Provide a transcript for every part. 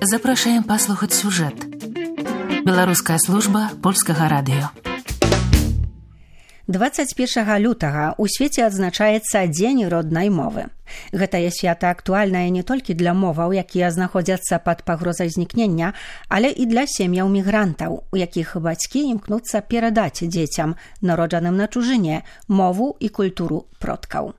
Запрашаем паслухаць сюжэт. Беларуская служба польскага радыё. 21 лютага ў свеце адзначаецца Дзень роднай мовы. Гэтае свята актуальнае не толькі для моваў, якія знаходзяцца пад пагрозай знікнення, але і для сем'яў мігрантаў, у якіх бацькі імкнуцца перадаць дзецям, народжаным на чужыне, мову і культуру продкаў.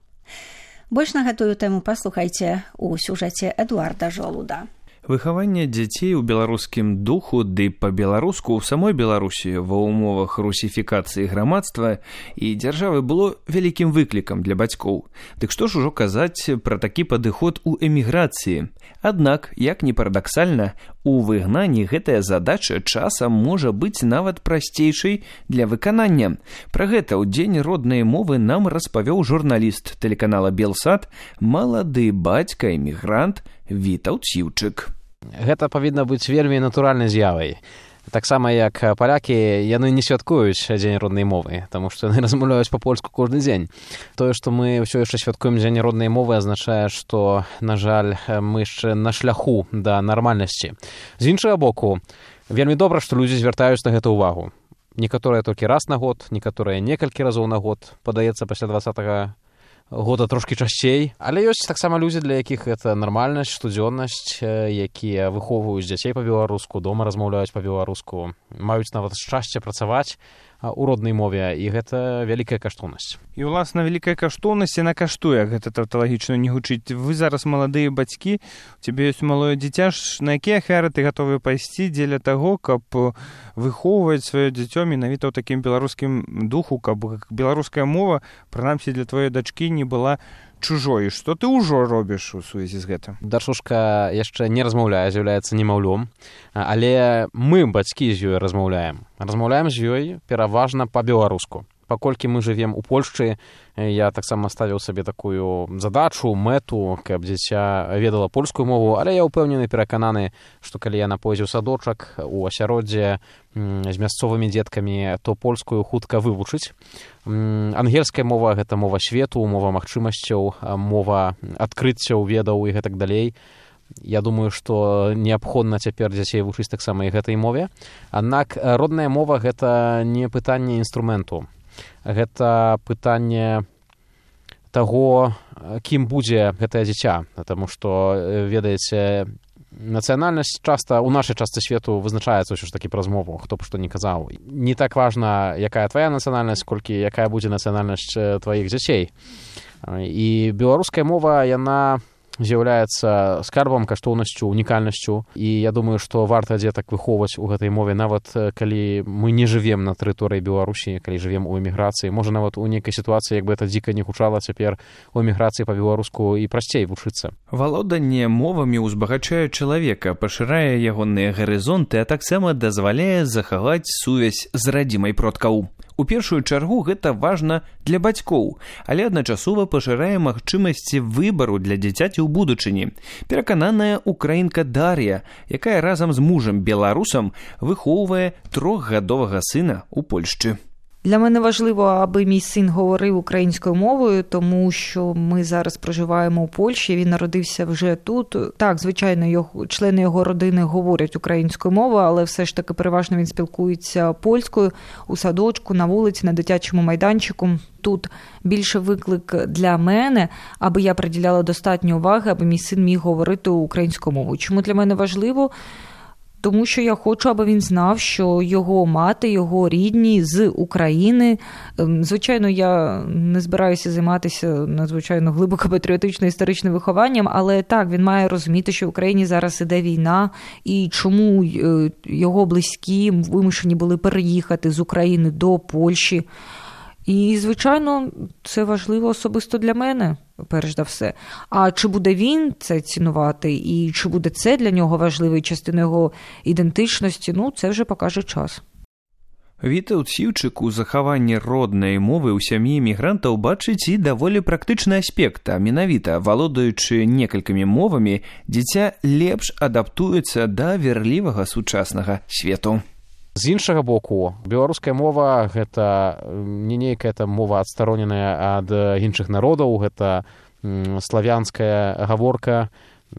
Больш на гэтую тэму паслухайце ў сюжэце Эдуарда Жолуда. Выхаванне дзяцей у беларускім духу ды па-беларуску ў самой Беларусі ва ўмовах русіфікацыі грамадства і дзяржавы было вялікім выклікам для бацькоў. Дык што ж ужо казаць пра такі падыход у эміграцыі? Аднак, як ні парадаксальна, у выгнанні гэтая задача часам можа быць нават прасцейшай для выканання. Пра гэта ў Дзень роднай мовы нам распавёў журналіст тэлеканала Белсат, малады бацька эмігрант Вітаўт Сіўчык. Гэта павінна быць вельмі натуральнай з'явай. Таксама як палякі, яны не святкуюць Дзень роднай мовы, таму што яны размаўляюць па-польску кожны дзень. Тое, што мы ўсё яшчэ святкуем Дзень роднай мовы, азначае, што, на жаль, мы яшчэ на шляху да нармальнасці. З іншага боку, вельмі добра, што людзі звяртаюць на гэта ўвагу. Некаторыя толькі раз на год, некаторыя некалькі разоў на год, падаецца пасля 20-го года трошкі часцей, але ёсць таксама людзі, для якіх гэта нармальнасць, штодзённасць, якія выхоўваюць дзяцей па-беларуску, дома размаўляюць па-беларуску, маюць нават шчасце працаваць у роднай мове, і гэта вялікая каштоўнасць. І, уласна, вялікая каштоўнасць, яна каштуе, гэта тавталагічна не гучыць. Вы зараз маладыя бацькі, у цябе ёсць малое дзіця, на якія ахвяры ты гатовы пайсці дзеля таго, каб выхоўваць сваё дзіцё менавіта ў такім беларускім духу, каб беларуская мова, прынамсі для твоей дачкі, не была чужой. Што ты ўжо робіш у сувязі з гэтым? Дачушка яшчэ не размаўляе, з'яўляецца немаўлём, але мы, бацькі, з ёй размаўляем. Размаўляем з ёй пераважна па-беларуску. Паколькі мы жывем у Польшчы, я таксама ставіў сабе такую задачу, мэту, каб дзіця ведала польскую мову, але я ўпэўнены, перакананы, што калі яна пойдзе ў садочак, у асяроддзе з мясцовымі дзеткамі, то польскую хутка вывучыць. Ангельская мова – гэта мова свету, мова магчымасцяў, мова адкрыццяў, ведаў і гэтак далей. Я думаю, што неабходна цяпер дзяцей вучыць таксама і гэтай мове. Аднак родная мова – гэта не пытанне інструменту. Гэта пытанне таго, кім будзе гэтае дзіця. Таму што, ведаеце, нацыянальнасць часта ў нашай частцы свету вызначаецца ўсё ж такі праз мову, хто б што не казаў. Не так важна, якая твая нацыянальнасць, колькі якая будзе нацыянальнасць тваіх дзяцей. І беларуская мова, яна з'яўляецца скарбам, каштоўнасцю, унікальнасцю. І я думаю, што варта дзетак выхоўваць у гэтай мове, нават калі мы не жывем на тэрыторыі Беларусі, калі жывем у эміграцыі. Можа, нават у нейкай сітуацыі, як бы гэта дзіка не гучала, цяпер у эміграцыі па-беларуску і прасцей вучыцца. Валоданне мовамі ўзбагачае чалавека, пашырае ягоныя гарызонты, а таксама дазваляе захаваць сувязь з радзімай продкаў. У першую чаргу гэта важна для бацькоў, але адначасова пашырае магчымасці выбару для дзіцяці ў будучыні. Перакананая украінка Дар'я, якая разам з мужам беларусам выхоўвае 3-гадовага сына ў Польшчы. Для мене важливо, аби мій син говорив українською мовою, тому що ми зараз проживаємо у Польщі, він народився вже тут. Так, звичайно, члени його родини говорять українською мовою, але все ж таки переважно він спілкується польською у садочку, на вулиці, на дитячому майданчику. Тут більше виклик для мене, аби я приділяла достатньо уваги, аби мій син міг говорити українською мовою. Чому для мене важливо? Тому що я хочу, аби він знав, що його мати, його рідні з України. Звичайно, я не збираюся займатися надзвичайно глибоко патріотично-історичним вихованням, але так, він має розуміти, що в Україні зараз іде війна, і чому його близькі вимушені були переїхати з України до Польщі. І, звичайно, це важливо особисто для мене, перш за все. А чи буде він це цінувати, і чи буде це для нього важливою частиною його ідентичності, це вже покаже час. Вітаўт Сіўчык у захаванні роднай мовы ў сям'і мігрантаў бачыць і даволі практычны аспект, а менавіта, валодаючы некалькімі мовамі, дзіця лепш адаптуецца да верлівага сучаснага свету. З іншага боку, беларуская мова – гэта не нейкая мова адстароненая ад іншых народаў, гэта славянская гаворка,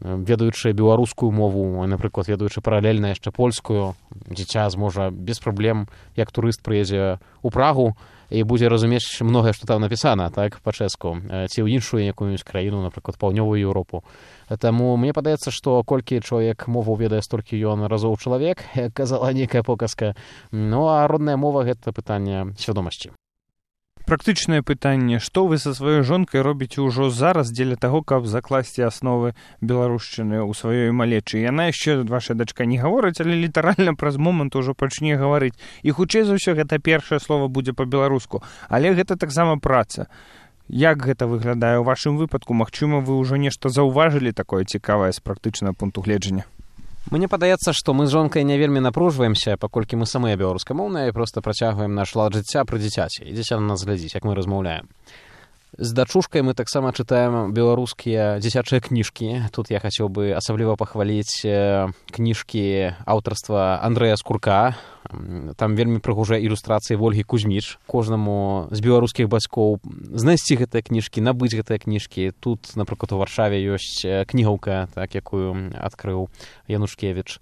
ведаючы беларускую мову, напрыклад, ведаючы паралельна яшчэ польскую, дзіця зможа без праблем, як турыст прыедзе ў Прагу і будзе разумець многае, што там напісана, так, па-чэску, ці ў іншую якую-нибудь краіну, напрыклад, паўднёвую Еўропу. Таму мне падаецца, што колькі чалавек мову ведае, столькі ён разоў чалавек, як казала нейкая показка. Ну, а родная мова – гэта пытанне свядомасці. Практычнае пытанне, што вы са сваёй жонкай робіце ўжо зараз дзеля таго, каб закласці асновы беларушчыны ў сваёй малечы? Яна яшчэ, ваша дачка, не гаворыць, але літаральна праз момант ужо пачне гаварыць. І хутчэй за ўсё гэта першае слова будзе па-беларуску. Але гэта таксама праца. Як гэта выглядае ў вашым выпадку? Магчыма, вы ўжо нешта заўважылі такое цікавае з практычнага пункту гледжання? Мне падаецца, што мы з жонкай не вельмі напружваемся, паколькі мы самыя беларускамоўныя і проста працягваем наш лад жыцця пры дзіцяці. І дзіця на нас глядзіць, як мы размаўляем. З дачушкай мы таксама чытаем беларускія дзіцячыя кніжкі. Тут я хацеў бы асабліва пахваліць кніжкі аўтарства Андрэя Скурка. Там вельмі прыгожыя ілюстрацыі Вольгі Кузьміч. Кожнаму з беларускіх бацькоў знайсці гэтыя кніжкі, набыць гэтыя кніжкі. Тут, напрыклад, у Варшаве ёсць кнігаўка, так, якую адкрыў Янушкевіч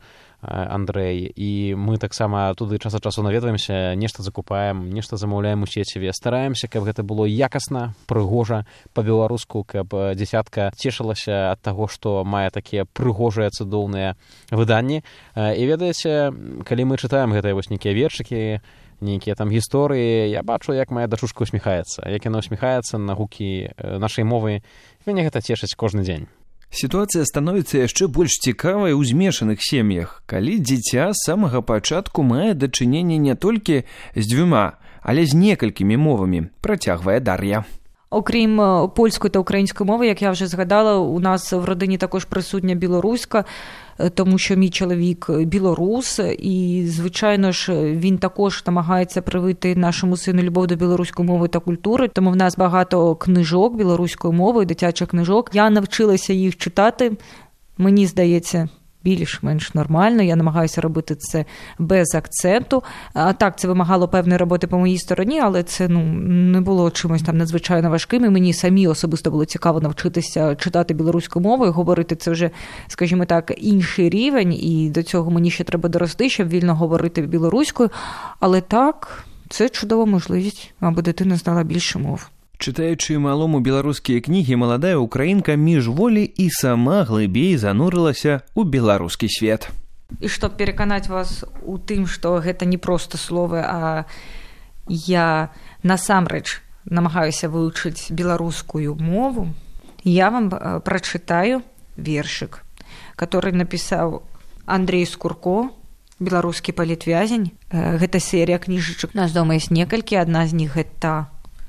Андрэй, і мы таксама туды час ад часу наведваемся, нешта закупаем, нешта замаўляем у сеціве, стараемся, каб гэта было якасна, прыгожа, па-беларуску, каб дзіцятка цешылася ад таго, што мае такія прыгожыя цудоўныя выданні. І ведаеце, калі мы чытаем гэтыя вось нейкія вершыкі, нейкія там гісторыі, я бачу, як моя дачушка усміхаецца, як яна усміхаецца на гукі нашай мовы. Мяне гэта цешыць кожны дзень. Сітуацыя становіцца яшчэ больш цікавай у змешаных сем'ях, калі дзіця з самага пачатку мае дачыненне не толькі з дзвюма, але з некалькімі мовамі, працягвае Дар'я. Окрім польської та української мови, як я вже згадала, у нас в родині також присутня білоруська, тому що мій чоловік білорус, і, звичайно ж, він також намагається привити нашому сину любов до білоруської мови та культури, тому в нас багато книжок білоруської мови, дитячих книжок. Я навчилася їх читати, мені здається, більш-менш нормально, я намагаюся робити це без акценту. А так, це вимагало певної роботи по моїй стороні, але це не було чимось там надзвичайно важким, і мені самі особисто було цікаво навчитися читати білоруською мовою, говорити це вже, скажімо так, інший рівень, і до цього мені ще треба дорости, щоб вільно говорити білоруською, але так, це чудова можливість, аби дитина знала більше мов. Чытаючы малому беларускія кнігі, маладая украінка міжволі і сама глыбей занурылася ў беларускі свет. І щоб переконати вас у тим, що гэта не просто слово, а я насамрэч намагаюся вивчити беларускую мову, я вам прочитаю вершик, который написал Андрей Скурко, беларускі палітвязень. Гэта серія кніжачак. У нас дома есть некалькі, одна з них это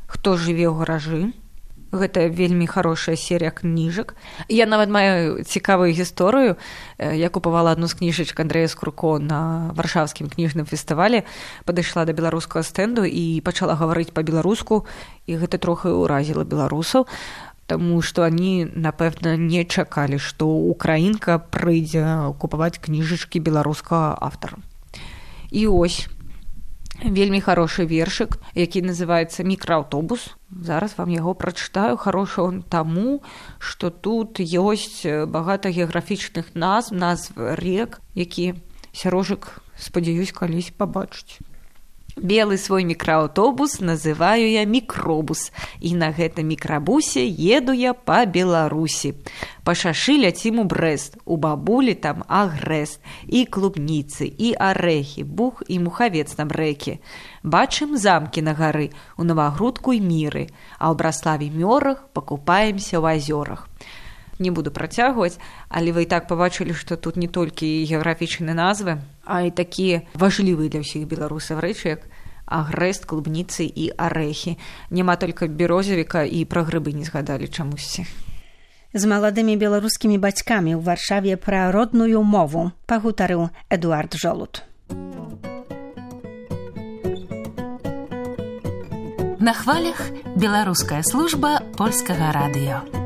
«Хто жыве ў гаражы». Гэта вельмі хорошая серія кніжак. Я нават маю цікавую гісторыю. Я купавала одну з кніжачак Андрэя Скурко на варшаўскім кніжным фестывалі, падышла да беларускага стэнду і пачала гаварыць па-беларуску, і гэта трохи ўразіла беларусаў, таму што они, напэўна, не чакалі, што украінка прыйдзе купаваць кніжачкі беларускага аўтара. І ось вельмі хороший вершик, які называецца «Мікрааўтобус». Зараз вам яго прачытаю. Хорошы он таму, што тут ёсць багата геаграфічных назв рек, які Сярожык, спадзяюсь, калісь пабачыць. Белый свой мікрааўтобус называю я мікробус, і на гэтым мікрабусе еду я па Беларусі. Па шашы ляцім у Брэст, у бабулі там агрэст, і клубніцы, і арэхі, бух і мухавец на брэкі. Бачым замкі на гары, у Новагрудку і Міры, а ў Браславе Мёрах пакупаемся ў азёрах. Не буду працягваць, але вы і так пабачылі, што тут не толькі геаграфічныя назвы, а і такія важлівыя для ўсіх беларусаў рэчы, як агрэст, клубніцы і арэхі. Няма толькі берозавіка, і пра грыбы не згадалі чамусьці. З маладымі беларускімі бацькамі ў Варшаве пра родную мову пагутарыў Эдуард Жолуд. На хвалях беларуская служба польскага радыё.